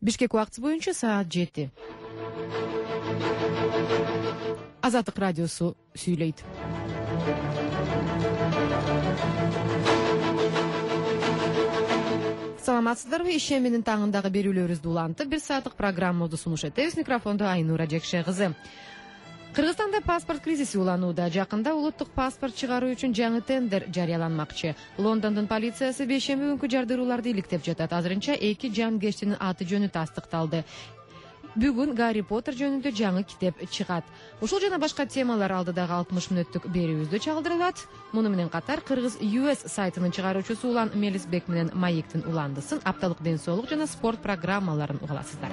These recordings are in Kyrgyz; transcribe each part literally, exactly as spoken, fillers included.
Бишкек убакыты боюнча саат жети. Азаттык радиосу сүйлөйт. Саламатсыздарбы? Ишембинин таңындагы берүүлөрүбүздү улантып, бир сааттык программабызды сунуш этебиз. Микрофондо Айнура Жекше кызы. Кыргызстанда паспорт кризиси уланууда. Жакында улуттук паспорт чыгаруу үчүн жаңы тендер жарыяланмакчы. Лондондун полициясы бейшемби күнкү жардырууларды иликтеп жатат. Азырынча эки жангечтинин аты жөнү тастыкталды. Бүгүн Гарри Поттер жөнүндө жаңы китеп чыгат. Ушул жана башка темалар алдыдагы алтымыш мүнөттүк берүүбүздө чагылдырылат. Муну менен катар Кыргыз ю эс сайтынын чыгаруучусу Улан Мелисбек менен Маектин уландысын, апталык ден соолук жана спорт программаларын угаласыздар.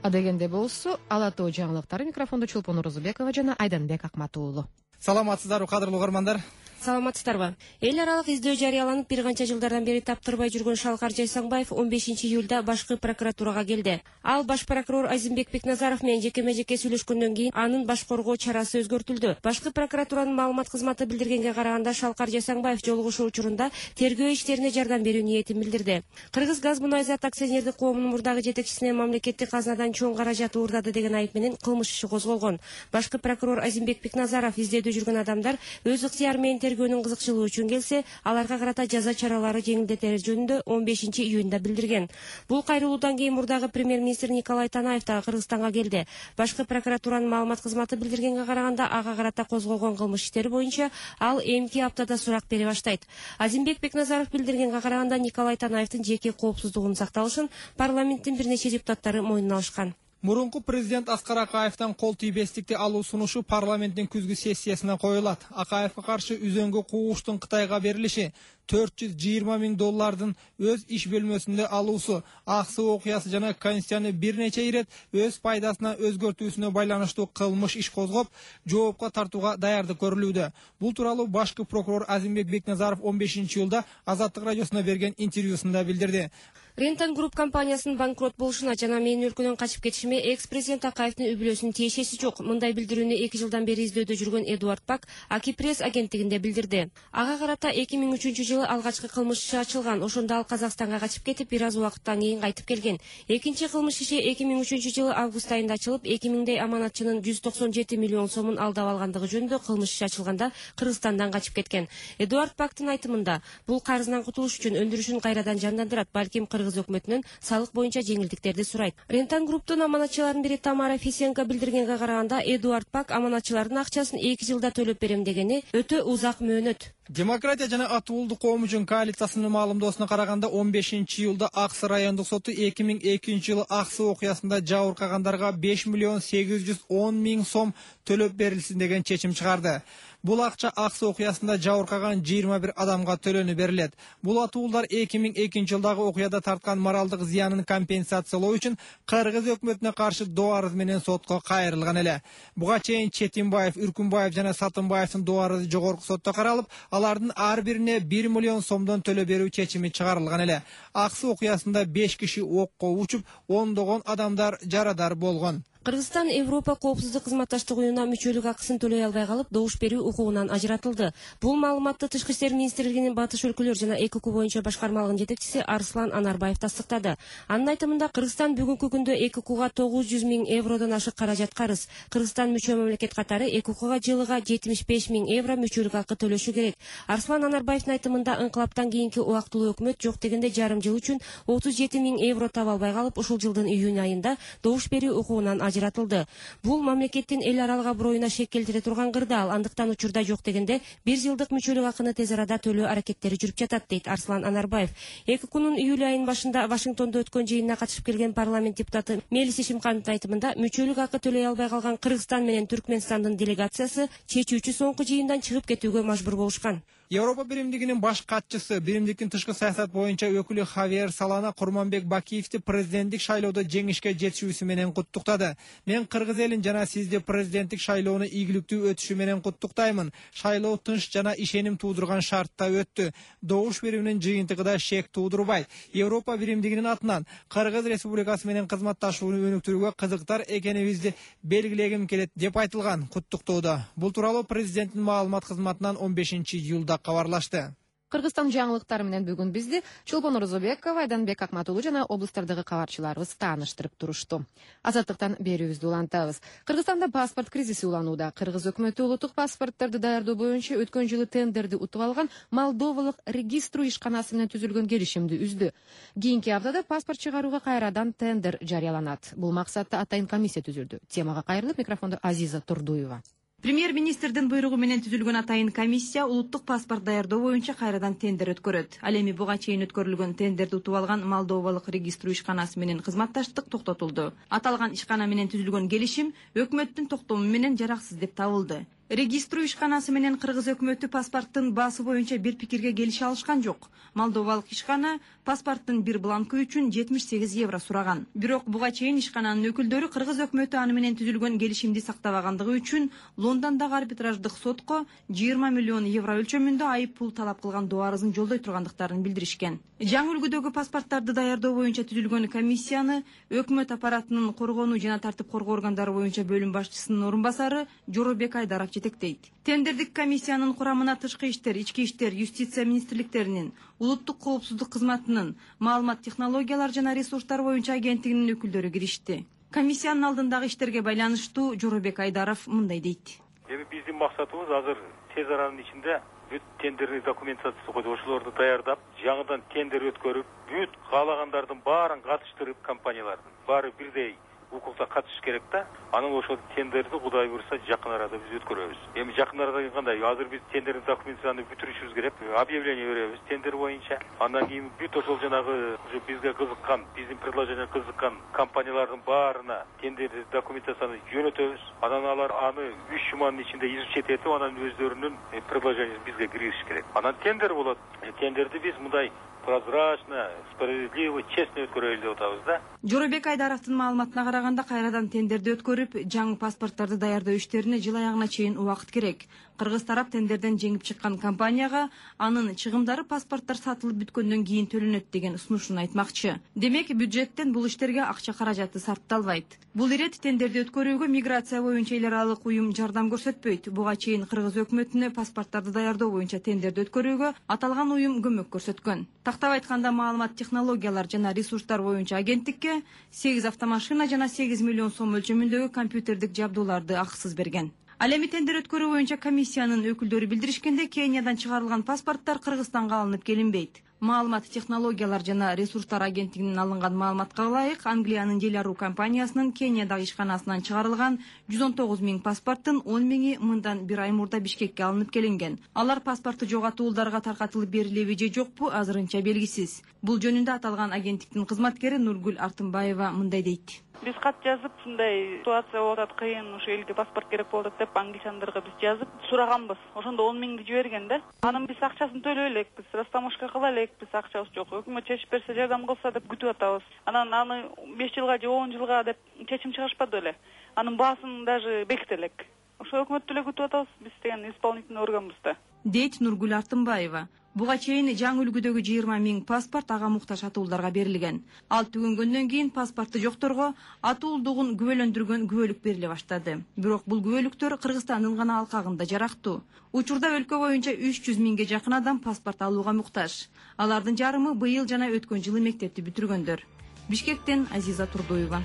Адегенде болсо, Ала Тоо жаңылыктары. Микрофондо Чолпон Орозубекова жана Айданбек Акмат уулу. Саламатсыздарбы, кадырлуу угармандар? Саламатсыздарбы. Эл аралык издөө жарыяланып, бир канча жылдардан бери таптырбай жүргөн Шалкар Жайсаңбаев он бешинчи июлда башкы прокуратурага келди. Ал баш прокурор Азимбек Бекназаров менен жекеме-жеке сүйлөшкөндөн кийин анын баш коргоо чарасы өзгөртүлдү. Башкы прокуратуранын маалымат кызматы билдиргенге караганда, Шалкар Жайсаңбаев жолугушуу учурунда тергөө иштерине жардам берүү ниетин билдирди. Кыргыз газ мунайзат акционердик коомунун мурдагы жетекчисине мамлекеттик казнадан чоң каражат уурдады деген айып менен кылмыш иши козголгон. Башкы прокурор Азимбек Бекназаров издөөдө жүргөн адамдар өз ыктыяры менен тергөөнүн кызыкчылыгы үчүн келсе, аларга карата жаза чаралары жеңилдетери жөнүндө он бешинчи июнда билдирген. Бул кайрылуудан кийин мурдагы премьер-министр Николай Танаев да Кыргызстанга келди. Башкы прокуратуранын маалымат кызматы билдиргенге караганда, ага карата козголгон кылмыш иштери боюнча ал эмки аптада сурак бере баштайт. Азимбек Бекназаров билдиргенге караганда, Николай Танаевдин жеке коопсуздугунун сакталышын парламенттин бир нече депутаттары мойнуна алышкан. Мурунку президент Аскар Акаевден кол тийбестикти алуу сунушу парламенттин күзгү сессиясына коюлат. Акаевге каршы үзөңгү куугуштун Кытайга берилиши, төрт жүз жыйырма миң доллардын өз иш бөлмөсүндө алуусу, аксы окуясы жана Конституцияны бир нече ирет өз пайдасына өзгөртүүсүнө байланыштуу кылмыш иш козгоп, жоопко тартууга даярдык көрүлүүдө. Бул тууралуу башкы прокурор Азимбек Бекназаров он бешинчи июлда Азаттык радиосуна берген интервьюсунда билдирди. Рентан Групп компаниясынын банкрот болушуна жана менин өлкөдөн качып кетишиме экс-президент Акаевдин үй бүлөсүнүн тиешеси жок. Мындай билдирүүнү эки жылдан бери издөөдө жүргөн Эдуард Пак Акипресс агенттигинде билдирди. Ага карата эки миң үчүнчү жылы алгачкы кылмыш иши ачылган. Ошондо ал Казакстанга качып кетип, бир аз убакыттан кийин кайтып келген. Экинчи кылмыш иши эки миң үчүнчү жылы август айында ачылып, эки миңдей аманатчынын жүз токсон жети миллион сомун алдап алгандыгы жөнүндө кылмыш иши ачылганда Кыргызстандан качып кеткен. Эдуард Пактын айтымында, бул карызынан кутулуш үчүн өндүрүшүн кайрадан жандандырат, балким Кыргыз өкмөтүнөн салык боюнча жеңилдиктерди сурайт. Рентан Групптун аманатчыларынын бири Тамара Фисенко билдиргенге караганда, Эдуард Пак аманатчылардын акчасын эки жылда төлөп берем дегени өтө узак мөөнөт. Демократия жана Атуулдук коом үчүн коалициясынын маалымдоосуна караганда, он бешинчи июлда Аксы райондук соту эки миң экинчи жылы Аксы окуясында жабыркагандарга беш миллион сегиз жүз он миң сом төлөп берилсин деген чечим чыгарды. Бул акча Аксы окуясында жабыркаган жыйырма бир адамга төлөнүп берилет. Бул атуулдар эки миң экинчи жылдагы окуяда тарткан моралдык зыянын компенсациялоо үчүн Кыргыз өкмөтүнө каршы доо арыз менен сотко кайрылган эле. Буга чейин Четимбаев, Үркүнбаев жана Сатымбаевдин доо арызы жогорку сотто каралып, алардын ар бирине бир миллион сомдон төлөп берүү чечими чыгарылган эле. Аксы окуясында беш киши окко учуп, ондогон адамдар жарадар болгон. Кыргызстан Европа коопсуздук кызматташтык уюмуна мүчөлүк акысын төлөй албай калып, добуш берүү укугунан ажыратылды. Бул маалыматты Тышкы иштер министрлигинин Батыш өлкөлөр жана ЭКК боюнча башкармалыгынын жетекчиси Арслан Анарбаев тастыктады. Анын айтымында, Кыргызстан бүгүнкү күндө ЭККга тогуз жүз миң евродон ашык каражат карыз. Кыргызстан мүчө мамлекет катары ЭККга жылыга жетимиш беш миң евро мүчөлүк акы төлөшү керек. Арслан Анарбаевдин айтымында, ыңкылаптан кийинки убактылуу өкмөт жок дегенде жарым жыл үчүн отуз жети миң евро таба албай калып, ушул жылдын июнь айында добуш берүү укугунан ажыратылды. Бул мамлекеттин эл аралык аброюна шек келтире турган кырдаал. Андыктан учурда жок дегенде бир жылдык мүчөлүк акыны тез арада төлөө аракеттери жүрүп жатат, дейт Арслан Анарбаев. ЭККнун июль айынын башында Вашингтондо өткөн жыйынына катышып келген парламент депутаты Мелис Ишимкановдун айтымында, мүчөлүк акы төлөй албай калган Кыргызстан менен Түркмөнстандын делегациясы чечүүчү соңку жыйындан чыгып кетүүгө мажбур болушкан. Европа биримдигинин баш катчысы, биримдиктин тышкы саясат боюнча өкүлү Хавиер Салана Курманбек Бакиевди президенттик шайлоодо жеңишке жетишүүсү менен куттуктады. Мен Кыргыз элин жана сизди президенттик шайлоону ийгиликтүү өтүшү менен куттуктаймын. Шайлоо тынч жана ишеним туудурган шартта өттү. Добуш берүүнүн жыйынтыгы да шек туудурбайт. Европа биримдигинин атынан Кыргыз Республикасы менен кызматташууну өнүктүрүүгө кызыктар экенибизди белгилегим келет деп айтылган куттуктоодо. Бул тууралуу президенттин маалымат кызматынан он бешинчи июлда кабарлашты. Кыргызстан жаңылыктары менен бүгүн бизди Чолпон Орозобекова, Айданбек Акматулу жана облустардагы кабарчыларыбыз тааныштырып турушту. Азаттыктан берүүбүздү улантабыз. Кыргызстанда паспорт кризиси уланууда. Кыргыз өкмөтү улуттук паспортторду даярдоо боюнча өткөн жылы тендерди утуп алган Молдовалык регистру ишканасы менен түзүлгөн келишимди үздү. Кийинки аптада паспорт чыгарууга кайрадан тендер жарыяланат. Бул максатта атайын комиссия түзүлдү. Темага кайрылып микрофондо Азиза Турдуева. Премьер-министрдин буйругу менен түзүлгөн атайын комиссия улуттук паспорт даярдоо боюнча кайрадан тендер өткөрөт. Ал эми буга чейин өткөрүлгөн тендерди утуп алган Молдовалык регистру ишканасы менен кызматташтык токтотулду. Аталган ишкана менен түзүлгөн келишим өкмөттүн токтому менен жараксыз деп табылды. Регистру ишканасы менен Кыргыз өкмөтү паспорттун баасы боюнча бир пикирге келише алышкан жок. Молдовалык ишкана паспорттун бир бланкы үчүн жетимиш сегиз евро сураган. Бирок буга чейин ишкананын өкүлдөрү Кыргыз өкмөтү аны менен түзүлгөн келишимди сактабагандыгы үчүн Лондондогу арбитраждык сотко жыйырма миллион евро өлчөмүндө айып пул талап кылган доо арызын жолдой тургандыктарын билдиришкен. Жаңы үлгүдөгү паспорттарды даярдоо боюнча түзүлгөн комиссияны өкмөт аппаратынын коргонуу жана тартип коргоо органдары боюнча бөлүм башчысынын орун басары Жоробек Айдаров жетектейт. Тендердик комиссиянын курамына тышкы иштер, ички иштер, юстиция министрликтеринин, улуттук коопсуздук кызматынын, маалымат технологиялар жана ресурстар боюнча агенттигинин өкүлдөрү киришти. Комиссиянын алдындагы иштерге байланыштуу Жоробек Айдаров мындай дейт. Эми биздин максатыбыз азыр тез аранын ичинде бүт тендерный документациясы коюп, ошолорду даярдап, жаңыдан тендер өткөрүп, бүт каалагандардын баарын катыштырып, компаниялардын баары бирдей укукта катышыш керек да. Анан ошол тендерди Кудай буйруса жакын арада биз өткөрөбүз. Эми жакын арада кандай? Азыр биз тендердин документацияны бүтүрүшүбүз керек. Объявление беребиз тендер боюнча. Андан кийин бүт ошол жанагы бизге кызыккан, биздин предложенияга кызыккан компаниялардын баарына тендердин документацияны жөнөтөбүз. Анан алар аны үч жуманын ичинде изучить этип, анан өздөрүнүн предложениясын бизге киргизиш керек. Анан тендер болот. Тендерди биз мындай прозрачно, справедливо, честно өткөрөлү деп атабыз да. Жоробек Айдаровдун маалыматына караганда кайрадан тендерди өткөрүп, жаңы паспорттарды даярдоо иштерине жыл аягына чейин убакыт керек. Кыргыз тарап тендерден жеңип чыккан компанияга анын чыгымдары паспорттор сатылып бүткөндөн кийин төлөнөт деген сунушун айтмакчы. Демек, бюджеттен бул иштерге акча каражаты сарпталбайт. Бул ирет тендерди өткөрүүгө миграция боюнча эл аралык уюм жардам көрсөтпөйт. Буга чейин Кыргыз өкмөтүнө паспорттарды даярдоо боюнча тендерди өткөрүүгө аталган уюм көмөк көрсөткөн. Тактап айтканда, маалымат технологиялар жана ресурстар боюнча агенттикке сегиз автомашина жана сегиз миллион сом өлчөмүндөгү компьютердик жабдууларды акысыз берген. Ал эми тендер өткөрүү боюнча комиссиянын өкүлдөрү билдиришкенде, Кениядан чыгарылган паспорттор Кыргызстанга алынып келинбейт. Маалымат технологиялар жана ресурстар агенттигинин алынган маалыматка ылайык, Англиянын Делару компаниясынын Кениядагы ишканасынан чыгарылган жүз он тогуз миң паспорттун он миңи мындан бир ай мурда Бишкекке алынып келинген. Алар паспорту жоготуулдарга таркатылып берилеби же жокпу азырынча белгисиз. Бул жөнүндө аталган агенттиктин кызматкери Нургүл Артынбаева мындай дейт. Биз кат жазып, ушундай ситуация болуп атат, кыйын, ушу элге паспорт керек болуп атат деп англичандарга биз жазып сураганбыз. Ошондо он миңди жиберген да. Анын биз акчасын төлөй элекпиз, растамашка кыла элекпиз, акчабыз жок. Өкмөт чечип берсе, жардам кылса деп күтүп атабыз. Анан аны беш жылга же он жылга деп чечим чыгарышпады эле. Анын баасын даже беките элек. Ошо өкмөттү эле күтүп атабыз, биз деген исполнительный органбыз да. Дейт Нургүл Артынбаева. Буга чейин жаңы үлгүдөгү жыйырма миң паспорт ага муктаж атуулдарга берилген. Ал түгөнгөндөн кийин паспорту жокторго атуулдугун күбөлөндүргөн күбөлүк бериле баштады. Бирок бул күбөлүктөр Кыргызстандын гана алкагында жарактуу. Учурда өлкө боюнча үч жүз миңге жакын адам паспорт алууга муктаж. Алардын жарымы быйыл жана өткөн жылы мектепти бүтүргөндөр. Бишкектен Азиза Турдуева.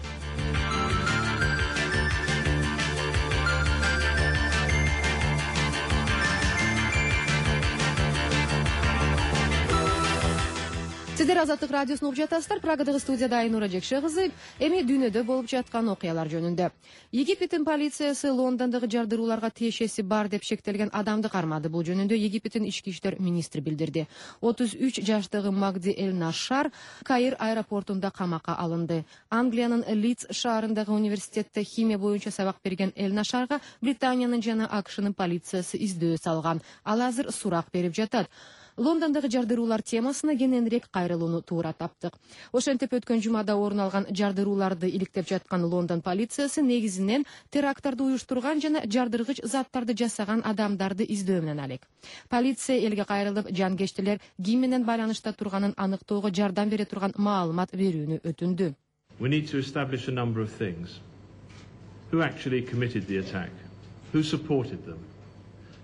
Сиздер Азаттык радиосун угуп жатасыздар. Прагадагы студияда Айнура Жекше кызы. Эми дүйнөдө болуп жаткан окуялар жөнүндө. Египеттин полициясы Лондондогу жардырууларга тиешеси бар деп шектелген адамды кармады. Бул жөнүндө Египеттин ички иштер министри билдирди. отуз үч жаштагы Магди Эль Нашар Каир аэропортунда камакка алынды. Англиянын Лидс шаарындагы университетте химия боюнча сабак берген Эль Нашарга Британиянын жана АКШнын полициясы издөө салган. Ал азыр сурак берип жатат. Лондондогу жардыруулар темасына кененирээк кайрылууну туура таптык. Ошентип өткөн жумада орун алган жардырууларды иликтеп жаткан Лондон полициясы негизинен теракттарды уюштурган жана жардыргыч заттарды жасаган адамдарды издөө менен алек. Полиция элге кайрылып, жангечтилер ким менен байланышта турганын аныктоого жардам бере турган маалымат берүүнү өтүндү. We need to establish a number of things. Who actually committed the attack? Who supported them?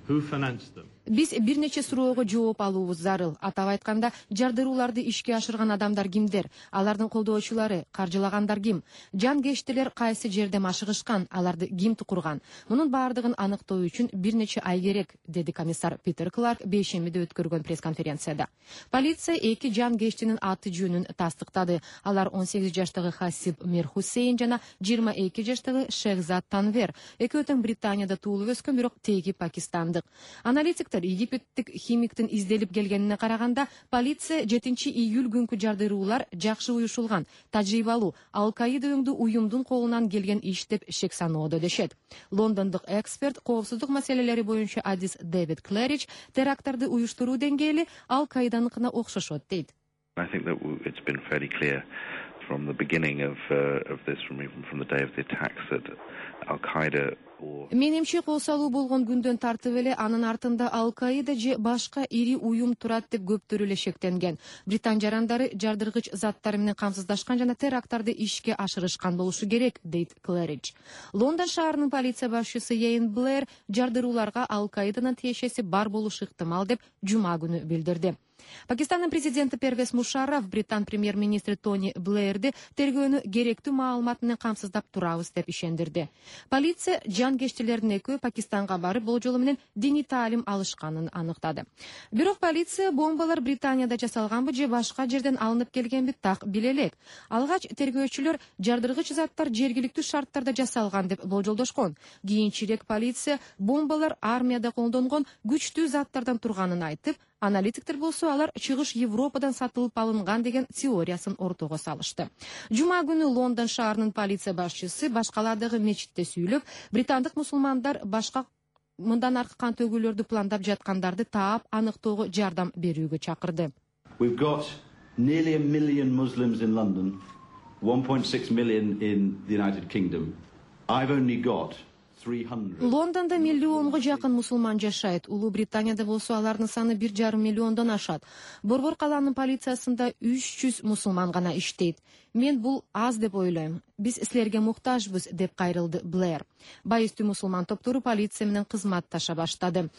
Who financed them? Биз бир нече суроого жооп алуубуз зарыл. Атап айтканда, жардырууларды ишке ашырган адамдар кимдер? Алардын колдоочулары, каржылагандар ким? Жангештилер кайсы жерде машыгышкан? Аларды ким курган? Мунун баардыгын аныктоо үчүн бир нече ай керек, деди комиссар Питер Кларк бейшембиде өткөргөн пресс-конференцияда. Полиция эки жангештинин аты жөнүн тастыктады. Алар он сегиз жаштагы Хасиб Мир Хусейн жана жыйырма эки жаштагы Шехзад Танвер. Экөө тең Британияда туулуп өскөн, бирок теги пакистандык. Аналитик Египеттик химиктин изделип келгенине караганда, полиция жетинчи июль күнкү жардыруулар жакшы уюшулган, тажрыйбалуу, Ал-Каида өңдүү уюмдун колунан келген иш деп шек саноодо дешет. Лондондук эксперт, коопсуздук маселелери боюнча адис Дэвид Клэрич теракттарды уюштуруу деңгээли Ал-Каиданыкына окшошот дейт. I think that it's been fairly clear from the beginning of uh, of this, from even from the day of the attacks, that Al-Qaeda. Менимче кол салуу болгон күндөн тартып эле анын артында Ал-Каида же башка ири уюм турат деп көптөр эле шектенген. Британ жарандары жардыргыч заттар менен камсыздашкан жана теракттарды ишке ашырышкан болушу керек, дейт Клэрич. Лондон шаарынын полиция башчысы Йейн Блэр жардырууларга Ал-Каиданын тиешеси бар болушу ыктымал деп жума күнү билдирди. Пакистандын президенти Первез Мушарраф Британ премьер-министри Тони Блэрди тергөөнү керектүү маалымат менен камсыздап турабыз деп ишендирди. Полиция жангештилердин экөө Пакистанга барып, болжолу менен диний таалим алышканын аныктады. Бирок полиция бомбалар Британияда жасалганбы же башка жерден алынып келгенби так биле элек. Алгач тергөөчүлөр жардыргыч заттар жергиликтүү шарттарда жасалган деп болжолдошкон. Кийинчерээк полиция бомбалар армияда колдонгон күчтүү заттардан турганын айтып, аналитиктер болсо алар чыгыш Европадан сатылып алынган деген теориясын ортого салышты. Жума күнү Лондон шаарынын полиция башчысы башкалардагы мечитте сүйлөп, британдык мусулмандар башка мындан аркы кан төгүүлөрдү пландап жаткандарды таап аныктоого жардам берүүгө чакырды. We've got nearly a million Muslims in London, one point six million in the United Kingdom. I've only got Лондонда миллионго жакын мусулман жашайт. Улуу Британияда болсо алардын саны бир жарым миллиондон ашат. Борбор калаанын полициясында үч жүз мусулман гана иштейт. Мен бул аз деп ойлойм. Биз силерге муктажбыз, деп кайрылды Блэр. Байыстуу мусулман топтору полиция менен кызматташа баштады.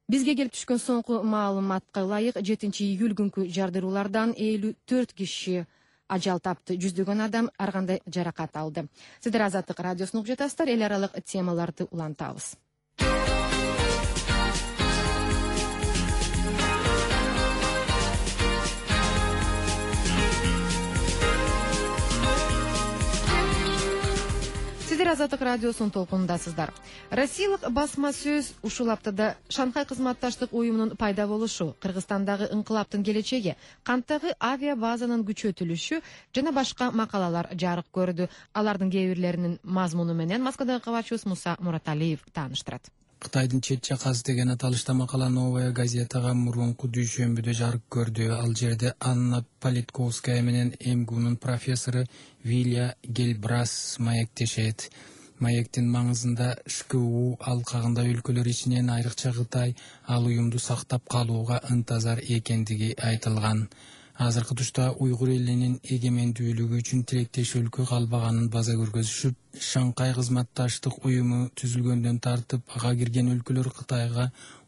Бизге келип түшкөн соңку маалыматка ылайык жетинчи июль күнкү жардыруулардан элүү төрт киши ажал тапты, жүздөгөн адам ар кандай жаракат алды. Сиздер Азаттык радиосун угуп жатасыздар, эл аралык темаларды улантабыз. Сиздер Азаттык радиосунун толкунундасыздар. Россиялык басма сөз ушул аптада Шанхай кызматташтык уюмунун пайда болушу, Кыргызстандагы ыңкылаптын келечеги, канттагы авиа базанын күчөтүлүшү жана башка макалалар жарык көрдү. Алардын кээ бирлеринин мазмуну менен Москвадагы кабарчыбыз Муса Мураталиев тааныштырат. Кытайдын чет чакасы деген аталышта макала Новая газетага мурунку дүйшөмбүдө жарык көрдү. Ал жерде Анна Политковская менен МГУнун профессору Вилия Гельбрас маектешет. Маектин маңызында ШКУ алкагында өлкөлөр ичинен айрыкча Кытай ал уюмду сактап калууга ынтазар экендиги айтылган. Азыркы тушта уйгур элинин эгемендүүлүгү үчүн тилектеш өлкө калбаганын база көргөзүшүп, Шанхай кызматташтык уюму түзүлгөндөн тартып ага кирген өлкөлөр Кытайга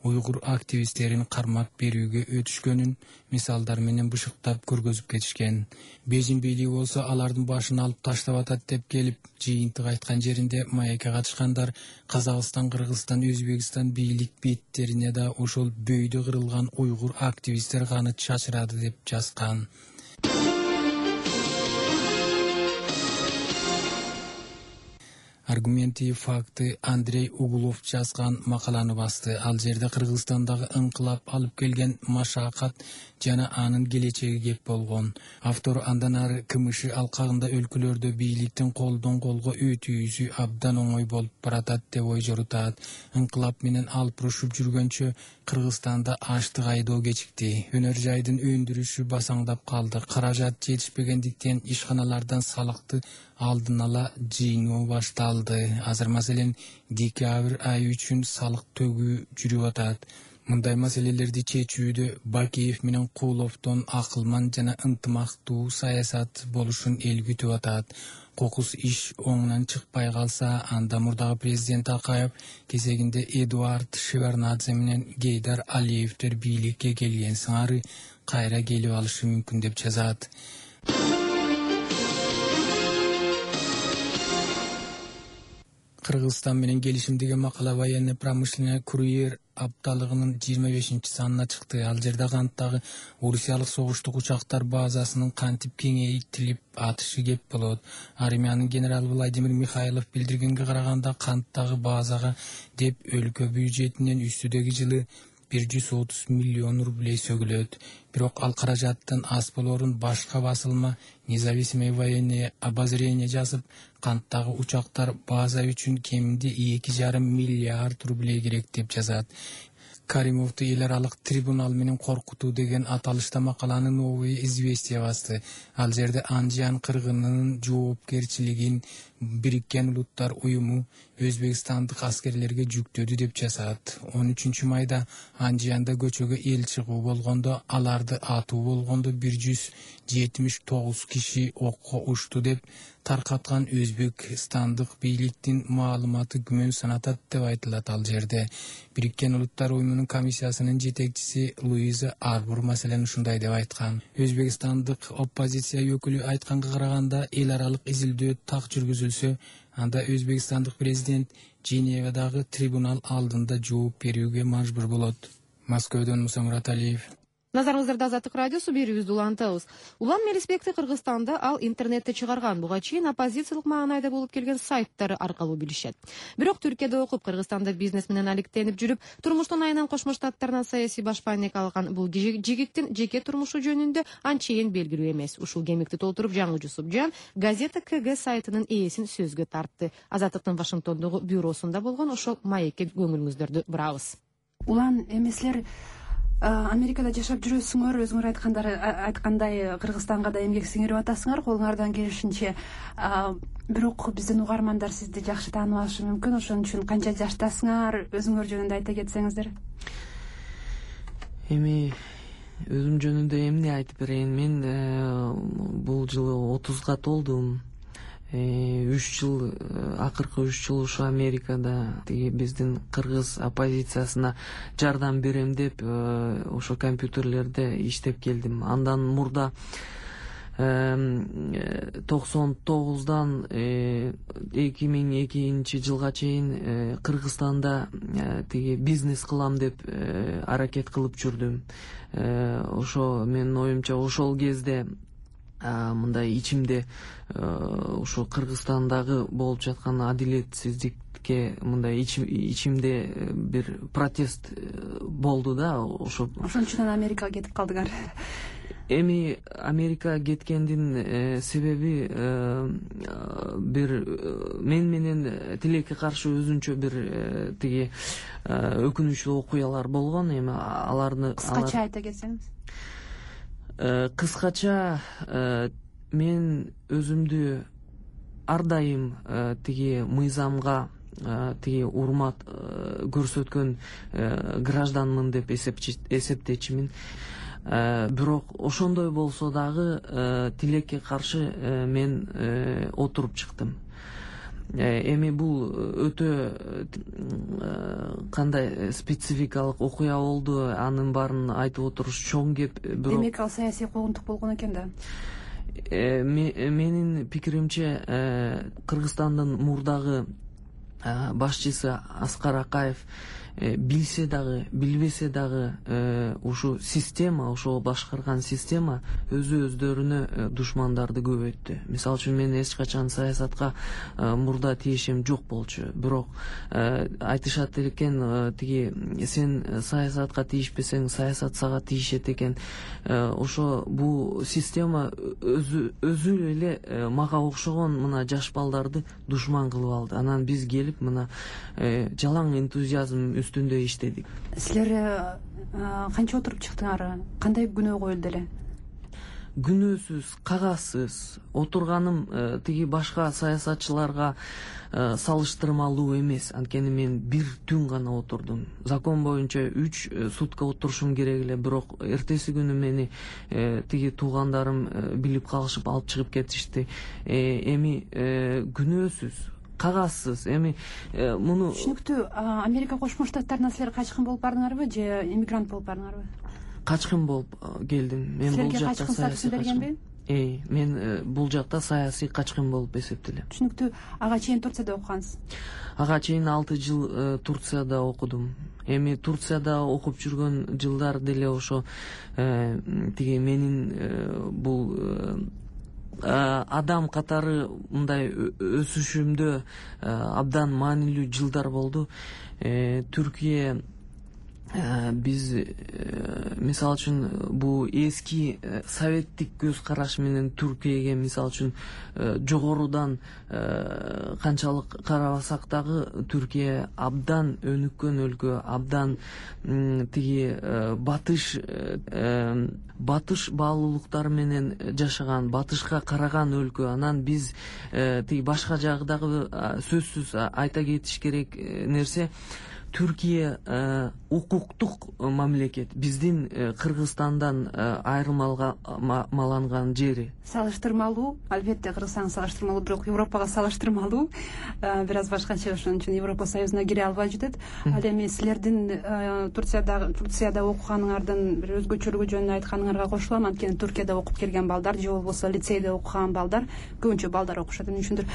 уйгур активисттерин кармап берүүгө өтүшкөнүн мисалдар менен бышыктап көргөзүп кетишкен. Бейжин бийлиги болсо алардын башын алып таштап атат деп келип, жыйынтык айткан жеринде маекке катышкандар Казакстан, Кыргызстан, Өзбекстан бийлик беттерине да ошол бөйдө кырылган уйгур активисттер каны чачырады деп жазган. Аргументи факты Андрей Углов жазган макаланы басты. Ал жерде Кыргызстандагы ыңкылап алып келген машакат жана анын келечеги кеп болгон. Автор андан ары КМШ алкагында өлкөлөрдө бийликтин колдон колго өтүүсү абдан оңой болуп баратат деп ой жорутат. Ыңкылап менен алып урушуп жүргөнчө Кыргызстанда аштык айдоо кечикти. Өнөр жайдын өндүрүшү басаңдап калды. Каражат жетишпегендиктен ишканалардан салыкты алдын ала жыйноо башталды. Азыр маселен декабрь айы үчүн салык төгүү жүрүп атат. Мындай маселелерди чечүүдө Бакиев менен Кууловдон акылман жана ынтымактуу саясат болушун эл күтүп атат. кокус иш оңунан чыкпай калса, анда мурдагы президент Акаев кезегинде Эдуард Шеварднадзе менен Гейдар Алиевдер бийликке келген сыңары кайра келип алышы мүмкүн деп жазат. Кыргызстан менен келишимдеги макала военно-промышленный курьер апталыгынын жыйырма бешинчи санына чыкты. Ал жерде канттагы орусиялык согуштук учактар базасынын кантип кеңейтилип атышы кеп болот. Армиянын генералы Владимир Михайлов билдиргенге караганда, канттагы базага деп өлкө бюджетинен үстүдөгү жылы бир жүз отуз миллион рублей сөгүлөт. Бирок ал каражаттын аз болорун башка басылма независимое военное обозрение жазып, канттагы учактар база үчүн кеминде эки жарым миллиард рублей керек деп жазат. Каримовду эл аралык трибунал менен коркутуу деген аталышта макаланы Новое известие басты. Ал жерде Анжиян кыргынынын жоопкерчилигин Бириккен Улуттар уюму Өзбекстандык аскерлерге жүктөдү деп жазат. он үчүнчү майда Анжиянда көчөгө эл чыгуу болгондо, аларды атуу болгондо бир жүз жетимиш тогуз киши окко ушту деп таркаткан Өзбекстандык бийликтин маалыматы күмөн санатат деп айтылат ал жерде. Бириккен Улуттар уюмунун комиссиясынын жетекчиси Луиза Арбур маселени ушундай деп айткан. Өзбекстандык оппозиция өкүлү айтканга караганда, эл аралык изилдөө так жүргүзүлсө, анда Өзбекстандык президент Женевадагы трибунал алдында жооп берүүгө мажбур болот. Москвадан Муса Мураталиев. Назарыңыздарда Азаттык радиосу берүүбүздү улантабыз. Улам Мелисбекти Кыргызстанда ал интернетте чыгарган, буга чейин оппозициялык маанайда болуп келген сайттары аркылуу билишет. Бирок Түркияда окуп, Кыргызстанда бизнес менен алектенип жүрүп, турмуштун айынан Кошмо Штаттарынан саясий башпайнек алган бул жигиттин жеке турмушу жөнүндө анчейин белгилүү эмес. Ушул кемикти толтуруп жаңы Жусупжан газета КГ сайтынын ээсин сөзгө тартты. Азаттыктын Вашингтондогу бюросунда болгон ошол маекке көңүлүңүздөрдү бурабыз. Улан эмеслер Америкада жашап жүрөсүңөр, өзүңөр айткандар айткандай Кыргызстанга да эмгек сиңирип атасыңар, колуңардан келишинче. Бирок биздин угармандар сизди жакшы таанып алышы мүмкүн. Ошон үчүн канча жаштасыңар, өзүңөр жөнүндө айта кетсеңиздер. Эми өзүм жөнүндө эмне айтып берейин? Мен бул жылы отузга толдум. үч жыл, акыркы үч жыл ушу Америкада тиги биздин кыргыз оппозициясына жардам берем деп ошо компьютерлерде иштеп келдим. Андан мурда токсон тогуздан эки миң экинчи жылга чейин Кыргызстанда тиги бизнес кылам деп аракет кылып жүрдүм. Ошо менин оюмча ошол кезде мындай ичимде ошо Кыргызстандагы болуп жаткан адилетсиздикке мындай ичимде бир протест болду да. Ошо ошон үчүн Америкага кетип калдыңар. Эми Америка кеткендин себеби бир мен менен тилекке каршы өзүнчө бир тиги өкүнүчтүү окуялар болгон. Эми аларды кыскача айта кетсеңиз. Кыскача мен өзүмдү ар дайым тиги мыйзамга тиги урмат көрсөткөн гражданмын деп эсептечимин. Бирок ошондой болсо дагы тилекке каршы мен отуруп чыктым. Эми бул өтө кандай спецификалык окуя болду, анын баарын айтып отуруш чоң кеп. Демек ал саясий куугунтук болгон экен да. Менин пикиримче Кыргызстандын мурдагы башчысы Аскар Акаев билсе дагы, билбесе дагы ушу система, ошол башкарган система өзү өздөрүнө душмандарды көбөйттү. Мисалы үчүн мен эч качан саясатка мурда тиешим жок болчу. Бирок айтышат экен, тиги сен саясатка тийишпесең, саясат сага тийишет экен. Ошо бул система өзү өзү эле мага окшогон мына жаш балдарды душман кылып алды. Анан биз келип мына жалаң энтузиазм үстүндө иштедик. Силер канча отуруп чыктыңар? Кандай күнөө коюлду эле? күнөөсүз, кагазсыз отурганым тиги башка саясатчыларга салыштырмалуу эмес. Анткени мен бир түн гана отурдум. Закон боюнча үч сутка отурушум керек эле, бирок эртеси күнү мени тиги туугандарым билип калышып алып чыгып кетишти. Эми күнөөсүз, кагазсыз, эми муну түшүнүктүү. Америка Кошмо Штаттарына силер качкын болуп бардыңарбы же иммигрант болуп бардыңарбы? Качкын болуп келдим. Мен бул жакта саясий бергенби? Эй, мен бул жакта саясий качкын болуп эсептелем. Түшүнүктүү. Ага чейин Турцияда окугансыз? Ага чейин алты жыл Турцияда окудум. Эми Турцияда окуп жүргөн жылдар деле ошо тиги менин бул адам катары мындай өсүшүмдө абдан маанилүү жылдар болду. Түркия биз мисалы үчүн бул эски советтик көз караш менен Түркияга мисалы үчүн жогорудан канчалык карабасак дагы Түркия абдан өнүккөн өлкө, абдан тиги батыш батыш баалуулуктары менен жашаган, батышка караган өлкө. Анан биз тиги башка жагы дагы сөзсүз айта кетиш керек нерсе, Түркия укуктук мамлекет, биздин Кыргызстандан айырмаланган жери. Салыштырмалуу, албетте Кыргызстан салыштырмалуу, бирок Европага салыштырмалуу бир аз башкача, ошон үчүн Европа Союзуна кире албай жатат. Ал эми силердин Турцияда Турцияда окуганыңардын бир өзгөчөлүгү жөнүндө айтканыңарга кошулам. Анткени Түркияда окуп келген балдар же болбосо лицейде окуган балдар, көбүнчө балдар окушат. Эмне үчүндүр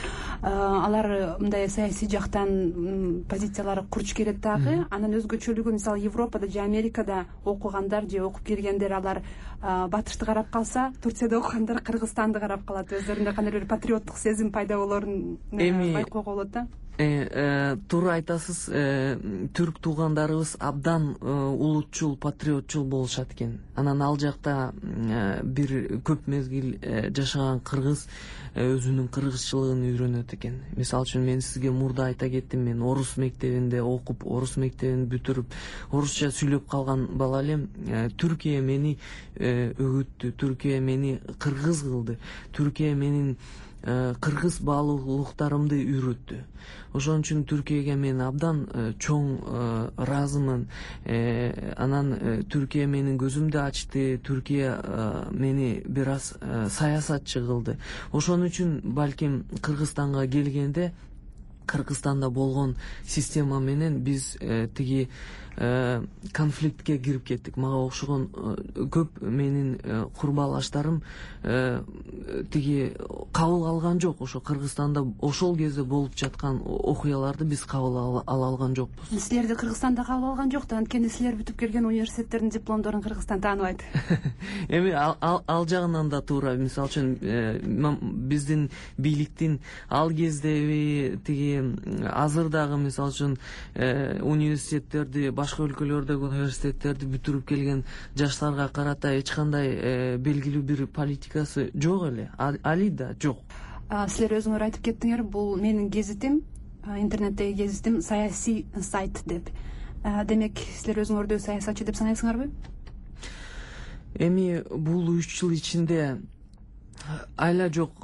алар мындай саясий жактан позициялары курч келет дагы. Анан өзгөчөлүгү мисалы Европада же Америкада окугандар же окуп келгендер алар батышты карап калса, Турцияда окугандар Кыргызстанды карап калат. Өздөрүндө кандайдыр бир патриоттук сезим пайда болоорун байкоого болот да. Туура айтасыз. Түрк туугандарыбыз абдан улутчул, патриотчул болушат экен. Анан ал жакта бир көп мезгил жашаган кыргыз өзүнүн кыргызчылыгын үйрөнөт экен. Мисалы үчүн мен сизге мурда айта кеттим, мен орус мектебинде окуп, орус мектебин бүтүрүп, орусча сүйлөп калган бала элем. Түркия мени өгүттү, Түркия мени кыргыз кылды, Түркия менин кыргыз баалуулуктарымды үйрөттү. Ошон үчүн Түркияга мен абдан чоң ыраазымын. Анан Түркия менин көзүмдү ачты, Түркия мени бир аз саясатчы кылды. Ошон үчүн балким Кыргызстанга келгенде, Кыргызстанда болгон система менен биз тиги конфликтке кирип кеттик. Мага окшогон көп менин курбалаштарым тиги кабыл алган жок. Ошо Кыргызстанда ошол кезде болуп жаткан окуяларды биз кабыл ала алган жокпуз. Силерди Кыргызстанда кабыл алган жок да, анткени силер бүтүп келген университеттердин дипломдорун Кыргызстан тааныбайт. Эми ал жагынан да туура. Мисалы үчүн биздин бийликтин ал кездеги тиги азыр дагы мисалы үчүн университеттерди, башка өлкөлөрдөгү университеттерди бүтүрүп келген жаштарга карата эч кандай белгилүү бир политикасы жок эле. Али да жок. Силер өзүңөр айтып кеттиңер, бул менин гезитим, интернеттеги гезитим саясий сайт деп. Демек, силер өзүңөрдү саясатчы деп санайсыңарбы? Эми бул үч жыл ичинде айла жок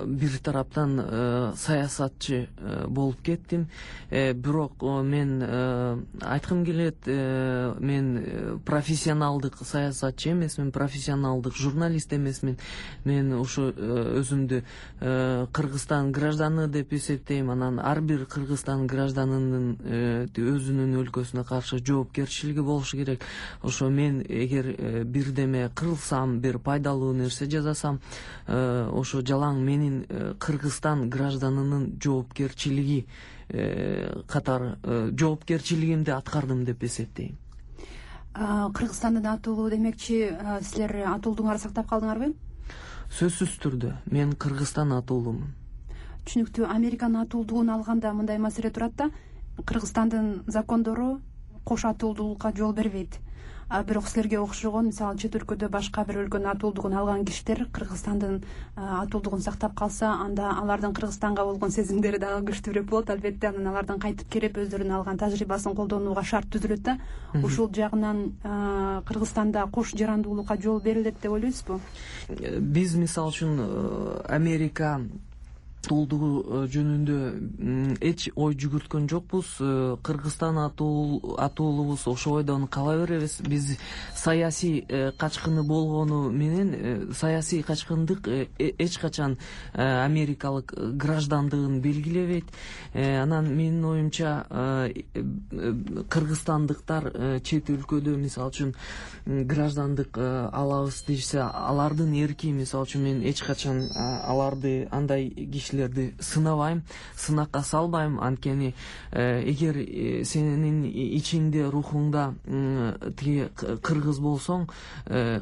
бир тараптан саясатчы болуп кеттим. Бирок мен айткым келет, мен профессионалдык саясатчы эмесмин, профессионалдык журналист эмесмин. Мен ошо өзүмдү Кыргызстан гражданы деп эсептейм. Анан ар бир Кыргызстан гражданынын өзүнүн өлкөсүнө каршы жоопкерчилиги болушу керек. Ошо мен эгер бирдеме кылсам, бир пайдалуу нерсе жасасам, ошо жалаң менин Кыргызстан гражданынын жоопкерчилиги катары жоопкерчилигимди аткардым деп эсептейм. Кыргызстандын атуулу демекчи, силер атуулдуңарды сактап калдыңарбы? Сөзсүз түрдө мен Кыргызстан атуулумун. Түшүнүктүү. Американын атуулдугун алганда мындай маселе турат да, Кыргызстандын закондору кош атуулдуулукка жол бербейт. бирок силерге окшогон мисалы чет өлкөдө башка бир өлкөнүн атуулдугун алган кишилер Кыргызстандын атуулдугун сактап калса, анда алардын Кыргызстанга болгон сезимдери дагы күчтүүрөөк болот. Албетте анан алардан кайтып келип өздөрүнүн алган тажрыйбасын колдонууга шарт түзүлөт да. Ушул жагынан Кыргызстанда кош жарандуулукка жол берилет деп ойлойсузбу? Биз мисалы үчүн Америка атуулдугу жөнүндө эч ой жүгүрткөн жокпуз. Кыргызстан атуулубуз ошойдон кала беребиз. Биз саясий качкыны болгону менен саясий качкындык эч качан америкалык граждандыгын белгилебейт. Анан менин оюмча кыргызстандыктар чет өлкөдө мисалы үчүн граждандык алабыз дешсе, алардын эрки. Мисалы үчүн мен эч качан аларды андай киши сынабайм, сынакка салбайм. Анткени эгер сенин ичиңде, рухуңда тиги кыргыз болсоң,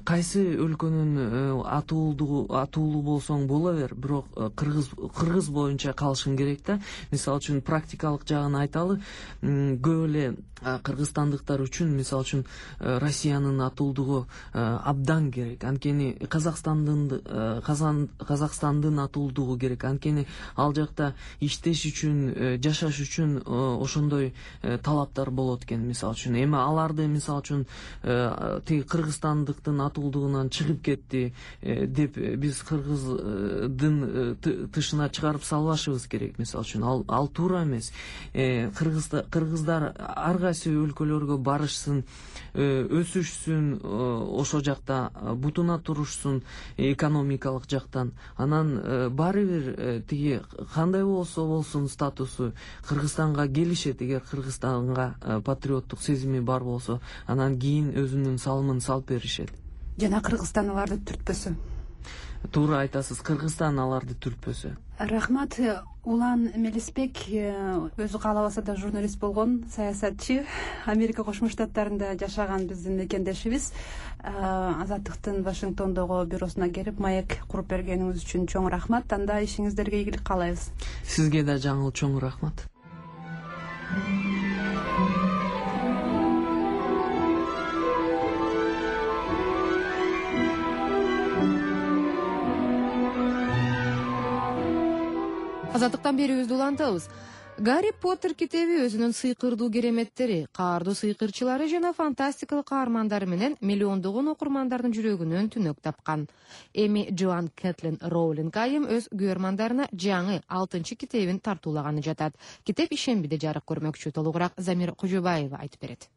кайсы өлкөнүн атуулдугу атуулу болсоң бола бер, бирок кыргыз кыргыз боюнча калышың керек да. Мисалы үчүн практикалык жагын айталы, көп эле кыргызстандыктар үчүн мисалы үчүн Россиянын атуулдугу абдан керек. Анткени Казакстандын Казакстандын атуулдугу керек. Анткени ал жакта иштеш үчүн, жашаш үчүн ошондой талаптар болот экен. Мисалы үчүн эми аларды мисалы үчүн тиги кыргызстандыктын атуулдугунан чыгып кетти деп биз кыргыздын тышына чыгарып салбашыбыз керек. Мисалы үчүн ал ал туура эмес. Кыргыздар ар кайсы өлкөлөргө барышсын, өсүшсүн, ошо жакта бутуна турушсун экономикалык жактан. Анан баары бир тиги кандай болсо болсун статусу Кыргызстанга келишет. Эгер Кыргызстанга патриоттук сезими бар болсо, анан кийин өзүнүн салымын салып беришет. Жана Кыргызстан аларды түртпөсө. Туура айтасыз, Кыргызстан аларды түртпөсө. Рахмат. Улан Мелисбек өзү каалабаса да журналист болгон, саясатчы, Америка Кошмо Штаттарында жашаган биздин мекендешибиз. Азаттыктын Вашингтондогу бюросуна келип маек куруп бергениңиз үчүн чоң рахмат. Анда ишиңиздерге ийгилик каалайбыз. Сизге да жаңыл чоң рахмат. Азаттыктан берүүбүздү улантабыз. Гарри Поттер китеби өзүнүн сыйкырдуу кереметтери, каардуу сыйкырчылары жана фантастикалык каармандары менен миллиондогон окурмандардын жүрөгүнөн түнөк тапкан. Эми Джоан Кэтлин Роулинг айым өз көрөрмандарына жаңы алтынчы китебин тартуулаганы жатат. Китеп ишембиде жарык көрмөкчү. Толугураак Замир Кожобаева айтып берет.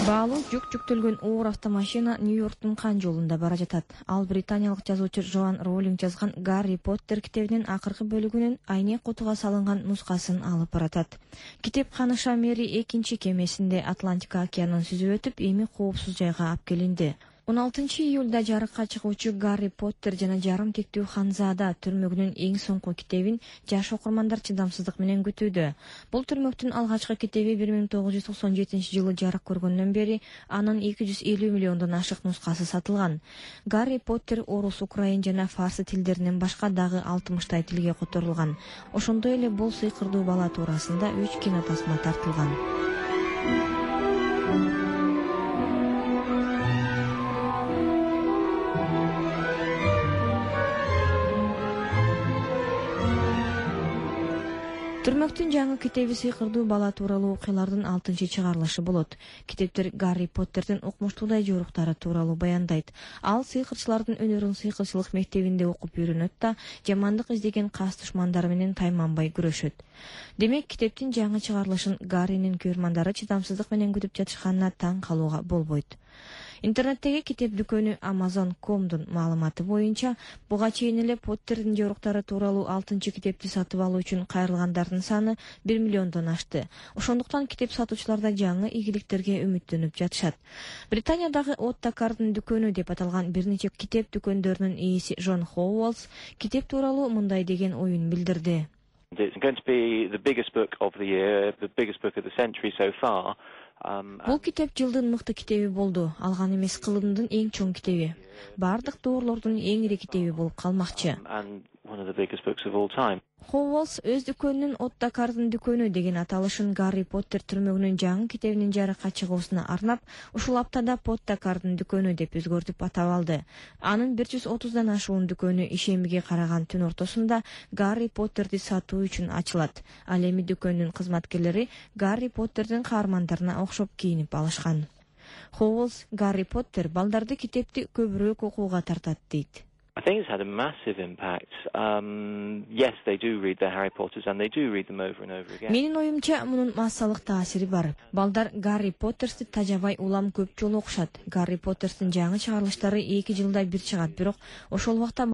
Баалуу жүк жүктөлгөн оор автомашина Нью-Йорктун Кан жолунда бара жатат. Ал британиялык жазуучу Джоан Роулинг жазган Гарри Поттер китебинин акыркы бөлүгүнүн айнек кутуга салынган нускасын алып баратат. Китеп Ханыша Мери экинчи кемесинде Атлантика океанын сүзүп өтүп, эми коопсуз жайга алып келинди. он алтынчы июлда жарыкка чыгуучу Гарри Поттер жана жарым тектүү Ханзада түрмөгүнүн эң соңку китебин жаш окурмандар чыдамсыздык менен күтүүдө. Бул түрмөктүн алгачкы китеби бир миң тогуз жүз токсон жетинчи жылы жарык көргөндөн бери анын эки жүз элүү миллиондон ашык нускасы сатылган. Гарри Поттер орус, украин жана фарсы тилдеринен башка дагы алтымыштай тилге которулган. Ошондой эле бул сыйкырдуу бала туурасында үч кинотасма тартылган. Түрмөктүн жаңы китеби сыйкырдуу бала тууралуу окуялардын алтынчы чыгарылышы болот. Китептер Гарри Поттердин укмуштуудай жоруктары тууралуу баяндайт. Ал сыйкырчылардын өнөрүн сыйкырчылык мектебинде окуп үйрөнөт да, жамандык издеген кас душмандары менен тайманбай күрөшөт. Демек, китептин жаңы чыгарылышын Гарринин көрөрмандары чыдамсыздык менен күтүп жатышканына таң калууга болбойт. Интернеттеги китеп дүкөнү Amazon точка комдун маалыматы боюнча, буга чейин эле Поттердин жоруктары тууралуу алтынчы китепти сатып алуу үчүн кайрылгандардын саны бир миллиондон ашты. Ошондуктан китеп сатуучуларда жаңы ийгиликтерге үмүттөнүп жатышат. Британиядагы Оттакардын дүкөнү деп аталган бир нече китеп дүкөндөрүнүн ээси Джон Хоуэлс китеп тууралуу мындай деген оюн билдирди. It's going to be the biggest book of the year, the biggest book of the century so far. Бул китеп жылдын мыкты китеби болду. Алган эмес, кылымдын эң чоң китеби. Бардык доорлордун эң ири китеби болуп калмакчы. And one of the biggest books of all time. Хоуэлс өз дүкөнүнүн Оттакардын дүкөнү деген аталышын Гарри Поттер түрмөгүнүн жаңы китебинин жарыкка чыгуусуна арнап, ушул аптада Поттакардын дүкөнү деп өзгөртүп атап алды. Анын бир жүз отуздан ашуун дүкөнү ишемиге караган түн ортосунда Гарри Поттерди сатуу үчүн ачылат. Ал эми дүкөнүнүн кызматкерлери Гарри Поттердин каармандарына окшоп кийинип алышкан. Хоуэлс Гарри Поттер балдарды китепти көбүрөөк окууга тартат дейт. I think it's had a massive impact. Um, yes, they do read the Harry Potters and they do read them over and over again. Менин оюмча, мунун массалык таасири бар. Балдар Гарри Поттерсти тажабай улам көп жолу окушат. Гарри Поттерстин жаңы чыгарылыштары эки жылда бир чыгат, бирок ошол убакта